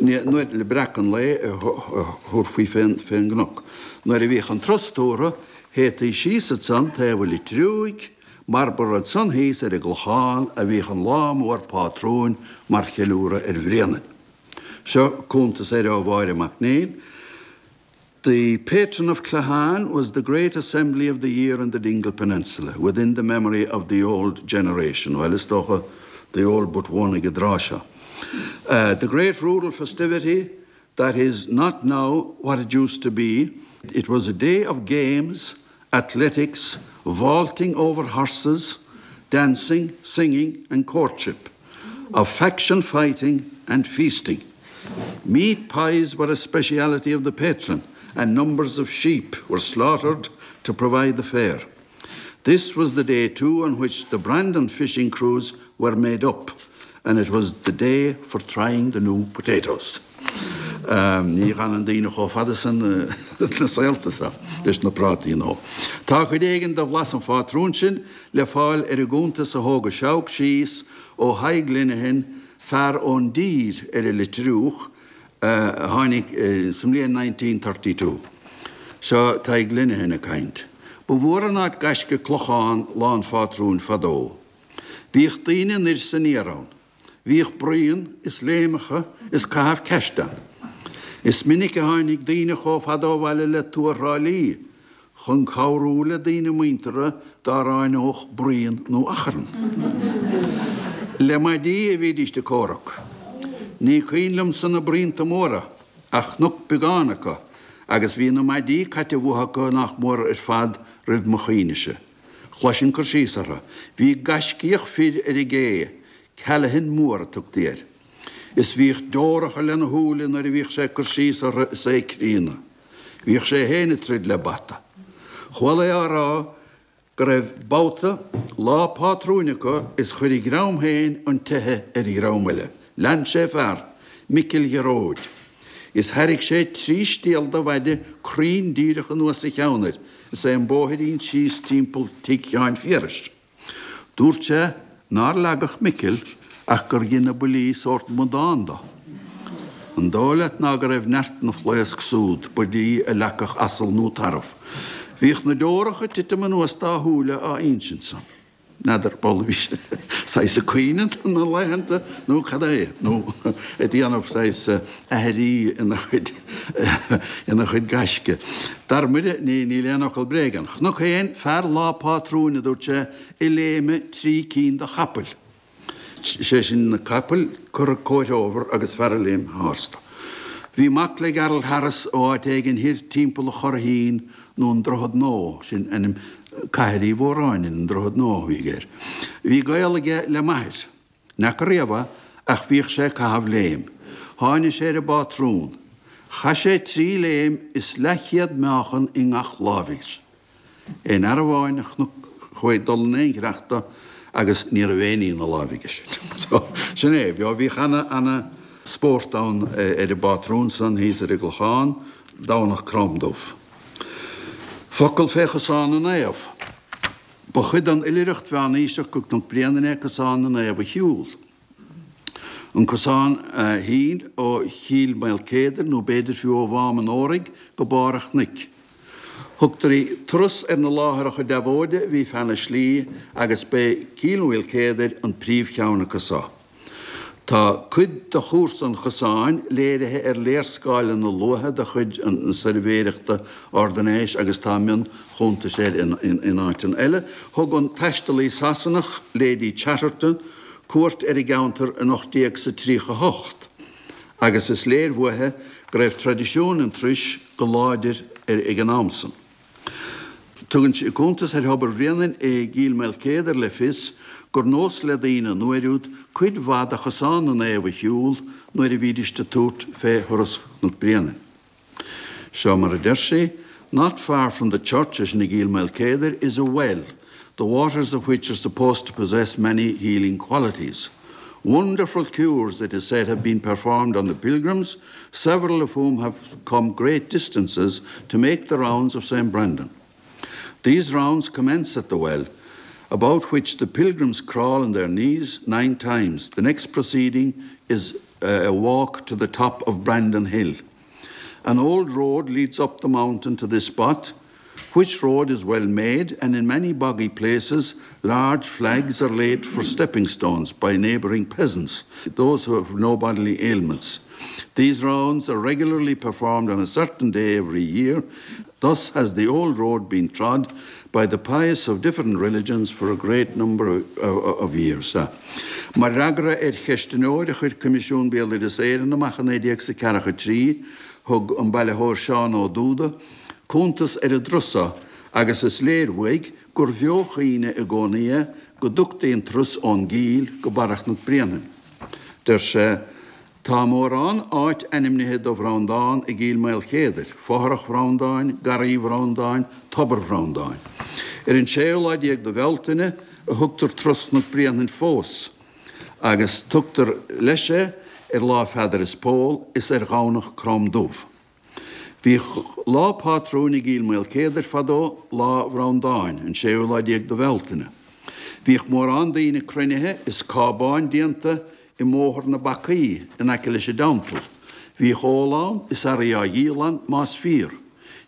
Nuair, le breacadh an lae a thabharfaí fén gcnoc. Nuair a bhíodh an turas tabhartha, théití síos ansan taobh an Litriúigh, mar ba ansan thíos ar an gClochán a bhíodh an lá mór pátrúin mar cheiliúradh ar Bhréanainn. Seo cuntas air ó Mháire Mac Néill. The patron of Claughaun was the great assembly of the year in the Dingle Peninsula, within the memory of the old generation. Bhuel, is dócha the old but one ag an dtráth seo. The great rural festivity that is not now what it used to be. It was a day of games, athletics, vaulting over horses, dancing, singing and courtship, of faction fighting and feasting. Meat pies were a speciality of the patron, and numbers of sheep were slaughtered to provide the fare. This was the day too on which the Brandon fishing crews were made up, and it was the day for trying the new potatoes. Ní fhanann daoine chomh fada san na saolta seo leis na prátaí nó. Tá cuid éigin de bhlas an phátrúin sin le fáil ar an gcuntas a thóg an Seabhac síos ó Thadhg Linehan, fear ón dtír ar an Litriúch a tháinig sa mbliain 1932. Seo Tadhg Linehan ag caint. Ba mhór an áit gaisce Clochán lá an phátrúin fadó. Bhíodh daoine anoir 's aniar ann. Bhíodh bruíon is léimeacha is caitheamh ceiste ann. Is minic a tháinig daoine chomh fada ó bhaile le Tuath Thrá Lí chun cabhrú le daoine muinteartha dá ráineodh bruíon nó achrann. Le maidí a bhídíst ag comhrac. Ní cuimhin liomsa na bruíonta móra, ach chonac beagán acu agus bhí na maidí caite uathu acu nach mór ar fad roimh mo chuimhnese. Chloisinn cur síos orthu. Bhí gaiscíoch fir ar an gcé, Callaghan Mór a tugtaí air. Is bhíodh deoracha lena shúile nuair a bhíodh sé ag cur síos orthu is é ag críonadh. Bhíodh sé féin ag troid le bata. Chuala é á rá go raibh babhta lá pátrúin acu is chuir a dhream féin an teitheadh ar dhream eile. Lean sé fear, Micil Ghearóid, is thairrig sé trí stiall de mhaide cruinn díreach anuas a cheann air is é an bóithrín síos timpeall tigh Sheáin Phiarais. Dúirt sé nár leagadh Micil ach gur dhein na buillí sórt amadán do. An dóigh leat ná go raibh neart na phlaosc súd, buillí a leagfadh asal nó tarbh. Bhíodh na deoracha ag titim anuas dá shúile á insint san. N'fheadar, bhuel bhí sé saghas ag caoineadh na laethanta nó cad é, nó ag déanamh saghas aithrí ina chuid, ina chuid gaisce. Dar Muire, ní, níl aon fhocal bréige ann. Chonac féin fear lá pátrúin, a dúirt sé, ag léimeadh trí cinn de chapaill. Sé sin na capaill curtha cóir fhómhair agus fear ag léim tharstu. Bhí mac le Gerald Harris ó áit éigin thoir timpeall an Churraichín nó an Droichead Nua, sin ainm cathair Uí Mhóráin, an Droichead Nua a bhí aige air. Bhí gaol aige le m'athair. N'fheaca riamh é ach bhíodh sé ag caitheamh léim. Tháinig sé ar an bpátrún. Chaith sé trí léim is leathchéad meáchan i ngach láimh aige. Aon fhear amháin a chonac chuaigh dul in aon chreach do agus ní raibh aon ní ina láimh aige. So, sin é. Bhíodh ana, ana spórt ann ar an bpátrún san thíos ar an gClochán, Domhnach Crom Dubh. Focal fé Chosán na Naomh. Ba chuid den oilithreacht mheánaoiseach go Cnoc Bréanainn é Cosán na Naomh a shiúl. An cosán a shín ó Chill Maoilcéadair nó b'fhéidir fiú ó Mhám an Óraigh go barr an chnoic. Thugtaí turas ar na láithreacha deabhóide a bhí feadh na slí agus b'é Cill Mhaoilchéadair an príomhcheann acu so. Tá cuid de chúrsa an chosáin léirithe ar léarscáileanna luatha de chuid na Suirbhéireachta Ordanáis agus tá mion-chuntais air in áiteanna eile. Thug an taistealaí Sasanach, Lady Chatterton, cuairt ar an gceantar in 1838 agus is léir uaithi go raibh traidisiún an turais go láidir ag an am san. Tugann sí cuntas ar Thobar Bhréanainn i gCill Maoilchéadair le fios gur nós le daoine an uair úd cuid mhaith de Chosán na Naomh a shiúl nuair a bhídíst ag tabhairt fé thuras Chnoc Bréanainn. Seo mar a deir sí, Not far from the church, é sin i gCill Maoilchéadair, is a well, the waters of which are supposed to possess many healing qualities. Wonderful cures, it is said, have been performed on the pilgrims, several of whom have come great distances to make the rounds of St. Brendan. These rounds commence at the well, about which the pilgrims crawl on their knees nine times. The next proceeding is a walk to the top of Brandon Hill. An old road leads up the mountain to this spot, which road is well made, and in many boggy places large flags are laid for stepping stones by neighbouring peasants, those who have no bodily ailments. These rounds are regularly performed on a certain day every year. Thus has the old road been trod by the pious of different religions for a great number of, of, of years. Mar fhreagra ar cheistneoir a chuir Coimisiún Béaloideas Éireann amach i 1943, thug an bailitheoir Seán Ó Dúda cuntas ar an dturas so agus is léir uaidh gur bheochuimhne i gcónaí é go dtugtaí an turas ón gCill go barra Chnoc Bréanainn. Deir sé, Tá mórán áit ainmnithe do Bhreandán i gCill Maoilchéadair, Fothrach Bhreandáin, Garraí Bhreandáin, Tobar Bhreandáin. Ar an séú lá déag de Bhealtaine a thugtar Turas Chnoc Bréanainn fós, agus tugtar leis é ar Lá Pheadair is Pól is ar Dhomhnach Crom Dubh. Bhíodh lá pátrúin i gCill Maoilchéadair fadó, Lá Bhreandáin, an séú lá déag de Bhealtaine. Bhíodh mórán daoine cruinnithe is cábáin déanta i mBóthar na Bacaí in aice leis an dteampall. Bhíodh ól ann is earraí á dhíol ann, más fíor.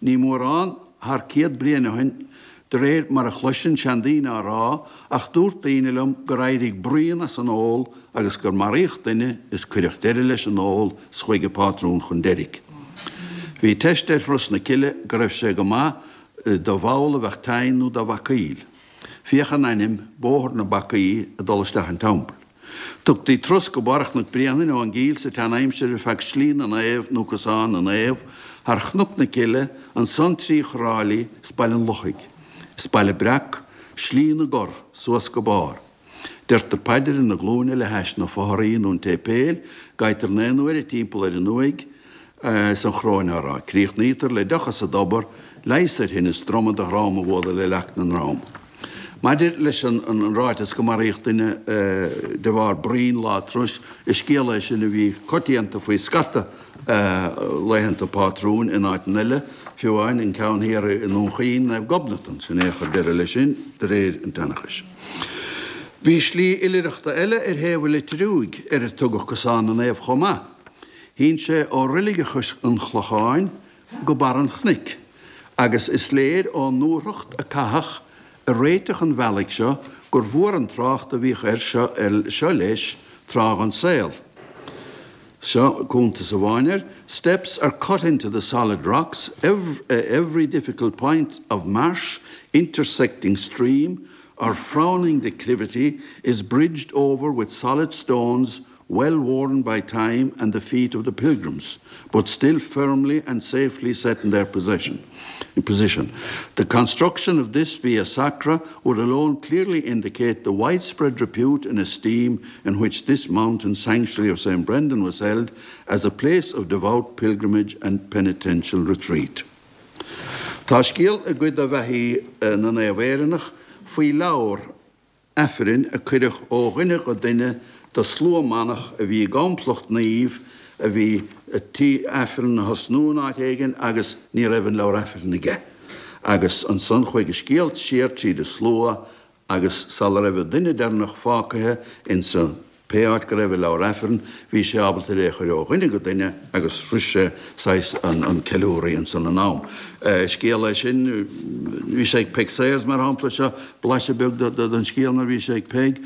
Ní mórán thar 100 bliain ó shin De réir mar a chloisinn seandaoine á rá, ach dúirt daoine liom gur éirigh bruíon as an ól agus gur maraíodh duine is cuireadh deireadh leis an ól 's chuaigh an pátrún chun deiridh. Bhí teist ar Thuras na Cille go raibh sé go maith do bhall a bheadh tinn nó do bhacaíl. Féach an ainm, Bóthar na Bacaí, ag dul isteach an teampaill. Tugtaí turas go barr Chnoc Bréanainn ón gCill sa tsean-aimsir ar feadh Slí na Naomh nó Cosán na Naomh, thar Chnoc na Cille, ansan trí Thráilí 's Baile an Lochaigh, is Baile Breac, Slí na gCorr, suas go barr. Deirtear paidir ar na glúine le hais na fothraí nó an tséipéil, gaibhtear 9 n-uaire timpeall ar an uaigh, is an choróin á rá. Críochnaítear le deoch as an dtobar, leigheas ar thinneas droma do dhrom a bhualadh le leac na ndrom. Maidir leis an ráiteas go maraíodh duine de bharr bruín lá turais, is scéal é sin a bhí coitianta faoi scata laethanta pátrúin in áiteanna eile, fiú amháin an ceann thiar i nDún Chaoin, Naomh Gobnatan, sin é a chuir deireadh leis sin, de réir an tseanchais. Bhí slí oilithreachta eile ar thaobh an Leitir Fhiúig ar ar tugadh Cosán na Naomh chomh maith. Shín sé ó Reilig an Chlocháin go barr an chnoic, agus is léir ón ndúthracht a caitheadh i réiteach an bhealaigh seo gur mhór an trácht a bhíodh air seo leis tráth den saol. Seo cuntas amháin air, Steps are cut into the solid rocks, every difficult point of marsh, intersecting stream, or frowning declivity is bridged over with solid stones well worn by time and the feet of the pilgrims, but still firmly and safely set in their possession. In position. The construction of this Via Sacra would alone clearly indicate the widespread repute and esteem in which this mountain sanctuary of St. Brendan was held as a place of devout pilgrimage and penitential retreat. Tá scéal i gcuid de bheathaí na naomh Éireannach faoi leabhar Aifrinn a cuireadh ó dhuine go duine do slua manach a bhí i gcomplacht naoimh a bhí tí Aifreann a thosnú in áit éigin agus ní raibh an leabhar Aifrinn aige. Agus ansan chuaigh an scéal siar tríd an slua agus sula raibh an duine deireanach fágtha insa. Pé áit go raibh a leabhar Aifrinn, bhí sé ábalta é a chur ó dhuine go duine agus shrois sé saghas an ceiliúraí ansan in am. Scéal é sin, bhí sé ag Peig Sayers mar shampla, seo blaiseadh beag den scéal mar bhí sé ag Peig.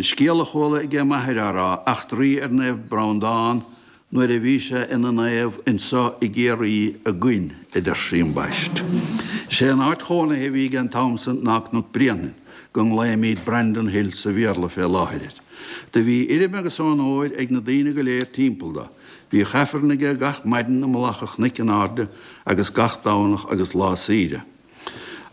Scéal a chuala aige m'athair á rá, eachtraí ar Naomh Breandán Nuair a bhí sé ina naomh anso i gCiarraí againn, a deir sí ambaist. Is é an áit chónaithe a bhí aige an t-am san ná Cnoc Bréanainn, go nglaoimíd Brandon Hill sa Bhéarla fé láthair air. Do bhí urraim agus onóir ag na daoine go léir timpeall do. Bhíodh Aifreann aige gach maidin i mullach an chnoic in airde agus gach Domhnach agus lá saoire.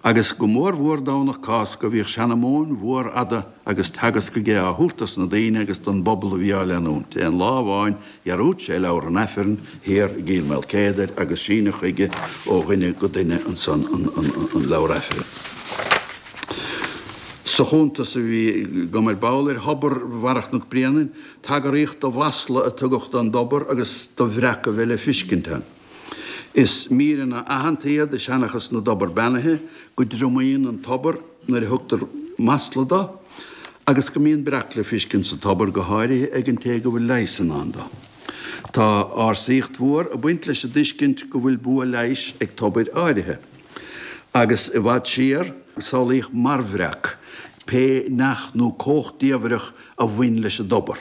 Agus go mór mhór Domhnach Cásca bhíodh seanamóin mhór fhada agus teagasc aige á thabhairt dos na daoine agus don bpobal a bhí á leanúint. Aon lá amháin dhearúd sé leabhar an Aifrinn thiar i gCill Maoilchéadair agus síneadh chuige ó dhuine go duine ansan an leabhar Aifrinn. Sa chuntas a bhí agam ar ball ar thobar Bharra Chnoc Bréanainn, tagraíodh do mhasla a tugadh don dtobar agus do bhreac a bheith le fiscint ann. Is míreanna aitheanta iad i seanchas na dtobar beannaithe, go dtriomaíonn an tobar nuair a thugtar masla do, agus go mbíonn breac le fiscint sa tobar, go háirithe ag an té go bhfuil leigheas i ndán do. Tá ársaíocht mhór ag baint leis an dtuiscint go bhfuil bua leighis ag tobair áirithe. Agus i bhfad siar, samhlaíodh marbhbhreac, pé neach nó cumhacht diamhrach a bhain leis an dtobar.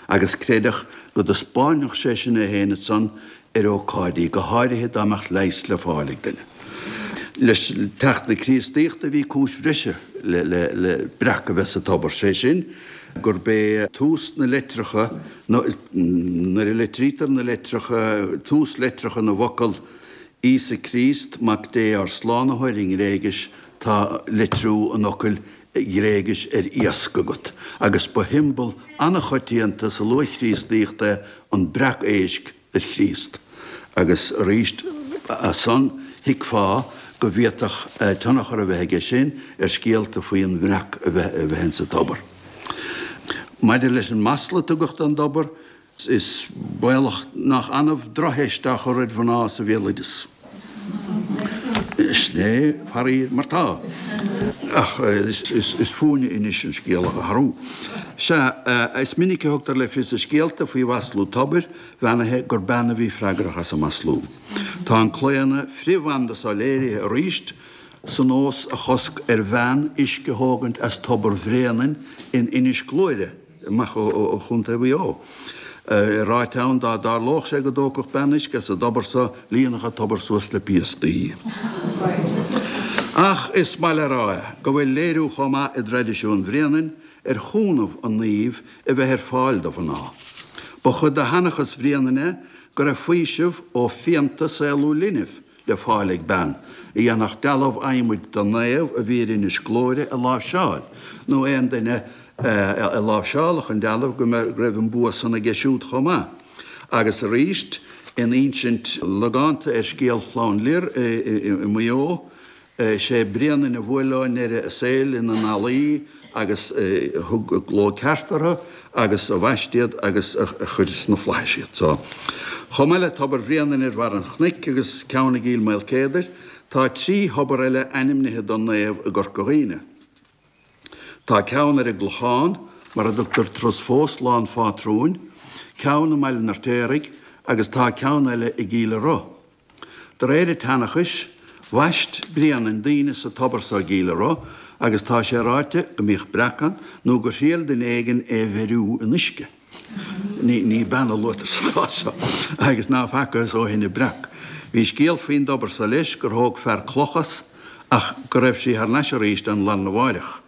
agus creideadh go dtaispeánfadh sé sin é féin ansan ar ócáidí, go háirithe dá mbeadh leigheas le fáil ag duine. Le teacht na Críostaíochta bhí cúis bhreise le breac a bheith sa tobar, sé sin gurb é tús na leitreacha, nuair a litrítear na leitreacha, tús leitreacha na bhfocal Íosa Críost, Mac Dé ár Slánaitheoir i nGréigis, tá litriú an fhocail Ghréigis ar iasc agat, agus ba shiombail an-choitianta sa luath-Chríostaíocht é an breac éisc ar Chríost. Agus arís as san, thuigfeá go bhféadfadh tionchar a bheith aige sin ar scéalta faoi an bhreac a bheith insa tobar. Maidir leis an masla a tugadh don dtobar, Is baolach nach annamh drochtheist á chur ar mhná sa bhéaloideas. Sin é, faraor, mar tá. Ach is fúinne anois an scéal a athrú. Sea, is minic a thugtar le fios i scéalta faoi mhaslú tobair bheannaithe gur bean a bhí freagrach as an maslú. Tá an claonadh frith-bhanda so léirithe arís sa nós a chosc ar bhean uisce a thógaint as Tobar Bhréanainn in Inis Gluaire, amach ó Chontae Mhaigh Eo. É ráite ann dá dtarlódh sé go dtógfadh bean uisce as an dtobar so, líonfadh an tobar suas le piastaí. Ach is maith le rá é go bhfuil léiriú chomh maith i dtraidisiún Bhréanainn ar chúnamh an naoimh a bheith ar fáil do mhná. Ba chuid de sheanchas Bhréanainn é go raibh faoiseamh ó phianta saolú linbh le fáil ag bean a dhéanfadh dealbh adhmaid den naomh a bhí ar Inis Gluaire a láimhseáil, nó aon duine a láimhseálfadh an dealbh go raibh an bua san aige siúd chomh maith. Agus arís, in insint logánta ar scéal Chlann Lir i Maigh Eo, Is é Bréanainn a bhuail leo i ndeireadh a saoil ina n-ealaí agus a thug gleo ceart orthu agus a bhaist iad agus a chuir sna flaithis iad. So, chomh maith le Tobar Bhréanainn ar bharr an chnoic agus ceann i gCill Maoilchéadair, tá 3 thobar eile ainmnithe don naomh i gCorca Dhuibhne. Tá ceann ar an gClochán, mar a dtugtar turas fós Lá an Phátrúin, ceann i mBaile an Fheirtéaraigh agus tá ceann eile i gCill a' Roth. De réir an tseanchais, bhaist Bréanainn daoine sa tobar so i gCill a' Roth agus tá sé ráite go mbíodh breac ann nó gur thriail duine éigin é bheiriú in uisce. Ní bean a luaitear sa chás seo agus ná facthas ó shin an breac. Bhí scéal faoin dtobar so leis gur thóg fear cloch as ach go raibh sí thar n-ais arís an larna mháireach.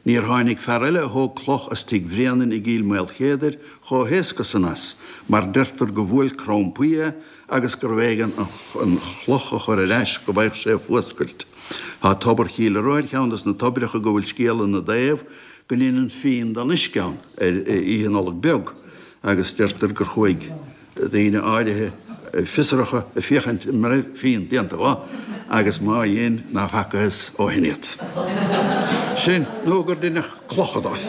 Níor tháinig fear eile a thóg cloch as tigh Bhréanainn i gCill Maoilchéadair chomh héasca san as, mar deirtear go bhuail crann poill é agus gurbh éigean an chloch a chur ar ais go bhfaigheadh sé fuascailt. Tá Tobar Chill a' Roth ar cheann dos na toibreacha go bhfuil scéal ina dtaobh go ndeineann fíon den uisce ann ar Oíche Nollag Beag agus deirtear gur chuaigh daoine áirithe fiosracha ag féachaint an raibh fíon déanta dho agus má dhein ná facthas ó shin iad. Sin nó gur deineadh clocha dóibh.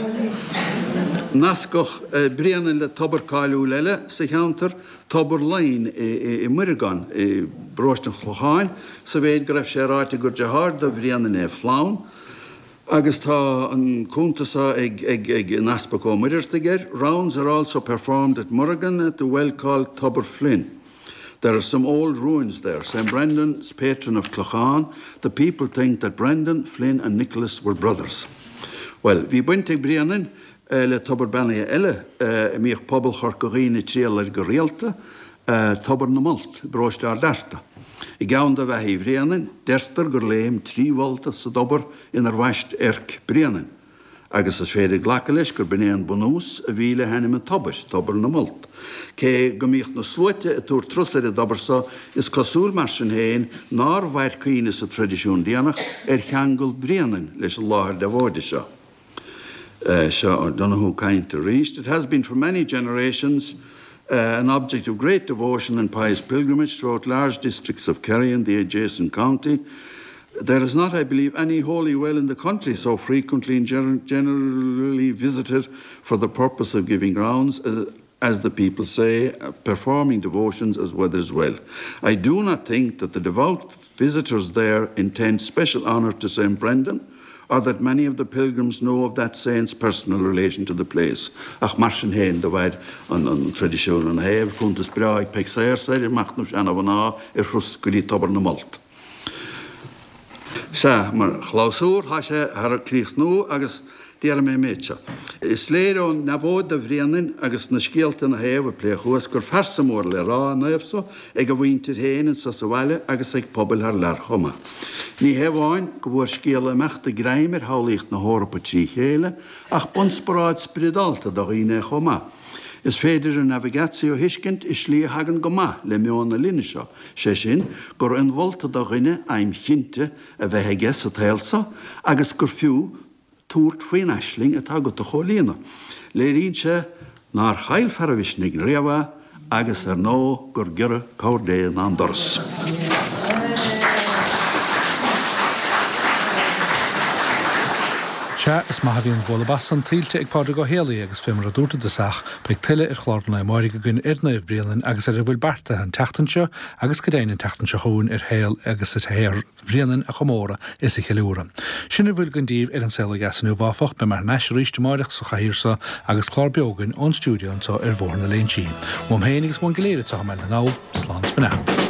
Nascadh Bréanainn le tobar cáiliúil eile sa cheantar, Tobar Laighin i Muireagán i bparóiste an Chlocháin, sa mhéid go raibh sé ráite gur deartháir do Bhréanainn é Flann. Agus tá an cuntas seo ag an Easpag Ó Muireadhartaigh air, Rounds are also performed at Murrigan at the well called Tobar Flynn. There are some old ruins there. St Brendan is patron of Clochán. The people think that Brendan, Flynn and Nicholas were brothers. Bhuel, bhí baint ag Bréanainn le tobar beannaithe eile a mbíodh pobal Chorca Dhuibhne ag triall air go rialta, Tobar na Molt i bparóiste Ard Fhearta. I gceann de bheathaí Bhréanainn, deirtear gur léim 3 mholt as an dtobar inar bhaist Eirc Bréanainn, agus is féidir glacadh leis gur b'in é an bunús a bhí le hainm an tobair, Tobar na Molt. Cé go mbíodh na sluaite ag tabhairt turas ar an dtobar so, is cosúil mar sin féin nár mhair cuimhne sa traidisiún déanach ar cheangal Bhréanainn leis an láthair deabhóide seo. Seo O'Donoghue ag caint arís. It has been for many generations an object of great devotion and pious pilgrimage throughout large districts of Kerry and the adjacent county. There is not, I believe, any holy well in the country so frequently and generally visited for the purpose of giving rounds as the people say, performing devotions as Weather's Well. I do not think that the devout visitors there intend special honour to St. Brendan, or that many of the pilgrims know of that saint's personal relation to the place. Ach mar sin féin, do mhair an traidisiún ina thaobh, cuntas breá ag Peig Sayers ar mhachnamh seana-mhná ar thuras go dtí Tobar na Molt. Sea, mar chlabhsúr, tá sé thar críochnú agus déarfaidh mé an méid seo. Is léir ón ndeabhóid do Bhréanainn agus na scéalta ina thaobh a pléadh thuas gur phearsa mór le rá an naomh so ag a mhuintir féin anso sa bhaile agus ag pobail thar lear chomh maith. Ní hé amháin go bhfuair scéal a imeachta greim ar shamhlaíocht na hEorpa trí chéile ach b'ionspioráid spioradálta do dhaoine é chomh maith. Is féidir a navigatio a thuiscint i slí a thagann go maith le meon na linne seo, sé sin, gur inmholta do dhuine aidhm chinnte a bheith aige sa tsaol seo agus gur fiú tabhairt faoin aisling atá agat a chomhlíonadh. Léiríonn sé nár chaill fear a mhisnigh riamh é agus, ar ndóigh, gur giorra cabhair Dé ná an doras. Sea, is maith a bhí an bualadh bas san tuillte ag Pádraig Ó Héalaí agus fé mar a dúrt i dtosach, beidh tuilleadh ar chlár an lae amáirigh againn ar Naomh Bréanainn agus ar a bhfuil beartaithe an tseachtain seo agus go deimhin an tseachtain seo chugainn ar shaol agus ar shaothar Bhréanainn a chomóradh is a cheiliúradh. Sin a bhfuil againn daoibh ar An Saol Ó Dheas inniu áfach, beidh mé thar n-ais arís amáireach sa chathaoir seo agus clár beo againn ón stiúideo anseo ar Bhóthar na Léinsí. Uaim féin agus uainn go léir anseo i mBaile na nGall, slán is beannacht.